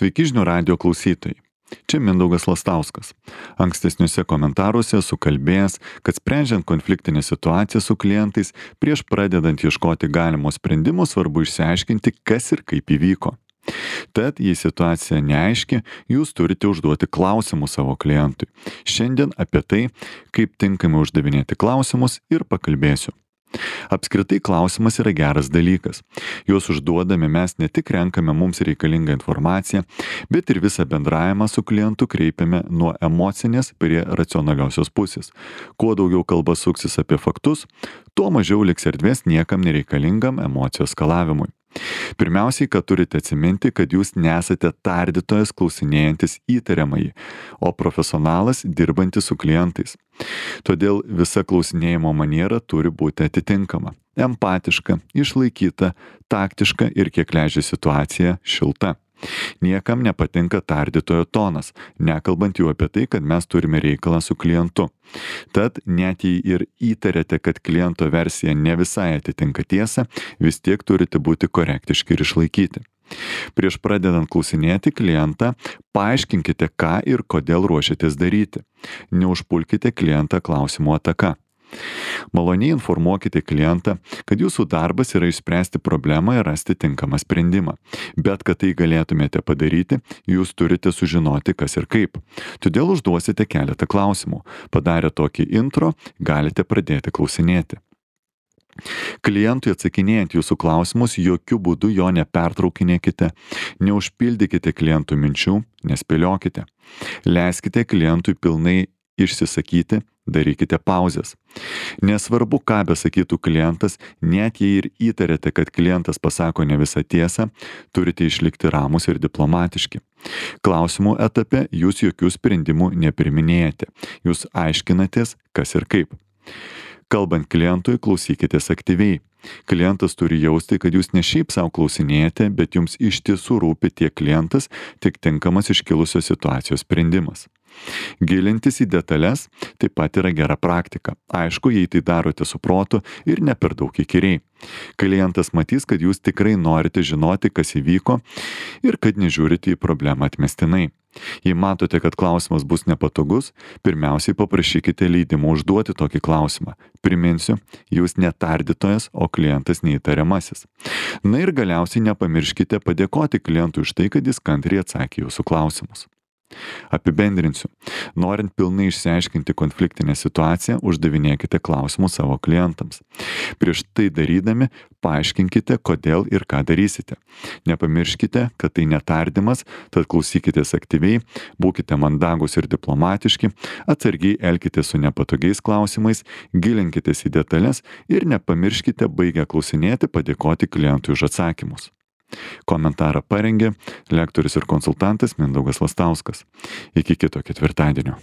Sveiki žinių radijo klausytojai. Čia Mindaugas Lastauskas. Ankstesniuose komentaruose esu kalbėjęs, kad sprendžiant konfliktinę situaciją su klientais, prieš pradedant ieškoti galimo sprendimo svarbu išsiaiškinti, kas ir kaip įvyko. Tad, jei situacija neaiški, jūs turite užduoti klausimus savo klientui. Šiandien apie tai, kaip tinkamai uždavinėti klausimus ir pakalbėsiu. Apskritai klausimas yra geras dalykas. Juos užduodami mes ne tik renkame mums reikalingą informaciją, bet ir visą bendravimą su klientu kreipiame nuo emocinės prie racionaliosios pusės. Kuo daugiau kalba suksis apie faktus, tuo mažiau liks erdvės niekam nereikalingam emocijų eskalavimui. Pirmiausiai, kad turite atsiminti, kad jūs nesate tardytojas klausinėjantis įtariamąjį, o profesionalas dirbantis su klientais. Todėl visa klausinėjimo maniera turi būti atitinkama, empatiška, išlaikyta, taktiška ir kiek leidžia situacija šilta. Niekam nepatinka tardytojo tonas, nekalbant jau apie tai, kad mes turime reikalą su klientu. Tad net jei ir įtarėte, kad kliento versija ne visai atitinka tiesą, vis tiek turite būti korektiški ir išlaikyti. Prieš pradedant klausinėti klientą, paaiškinkite, ką ir kodėl ruošiatės daryti. Neužpulkite klientą klausimų ataka. Maloniai informuokite klientą, kad jūsų darbas yra išspręsti problemą ir rasti tinkamą sprendimą. Bet kad tai galėtumėte padaryti, jūs turite sužinoti, kas ir kaip. Todėl užduosite keletą klausimų. Padarę tokį intro, galite pradėti klausinėti. Klientui atsakinėjant jūsų klausimus, jokių būdų jo nepertraukinėkite, neužpildykite klientų minčių, nespėliokite. Leiskite klientui pilnai išsisakyti, darykite pauzes. Nesvarbu, ką besakytų klientas, net jei ir įtarėte, kad klientas pasako ne visą tiesą, turite išlikti ramus ir diplomatiški. Klausimų etape jūs jokių sprendimų nepriminėjate. Jūs aiškinatės, kas ir kaip. Kalbant klientui, klausykitės aktyviai. Klientas turi jausti, kad jūs ne šiaip savo klausinėjate, bet jums iš tiesų rūpi tiek klientas, tiek tinkamas iškilusios situacijos sprendimas. Gilintis į detalės taip pat yra gera praktika. Aišku, jei tai darote su protu ir ne per daug įkyriai. Klientas matys, kad jūs tikrai norite žinoti, kas įvyko ir kad nežiūrite į problemą atmestinai. Jei matote, kad klausimas bus nepatogus, pirmiausiai paprašykite leidimo užduoti tokį klausimą. Priminsiu, jūs ne tardytojas, o klientas neįtariamasis. Na ir galiausiai nepamirškite padėkoti klientui už tai, kad jis kantriai atsakė jūsų klausimus. Apibendrinsiu. Norint pilnai išsiaiškinti konfliktinę situaciją, uždavinėkite klausimus savo klientams. Prieš tai darydami, paaiškinkite, kodėl ir ką darysite. Nepamirškite, kad tai netardymas, tad klausykitės aktyviai, būkite mandagūs ir diplomatiški, atsargiai elkitės su nepatogiais klausimais, gilinkitės į detalės ir nepamirškite baigę klausinėti padėkoti klientui už atsakymus. Komentarą parengė lektorius ir konsultantas Mindaugas Lastauskas. Iki kito ketvirtadienio.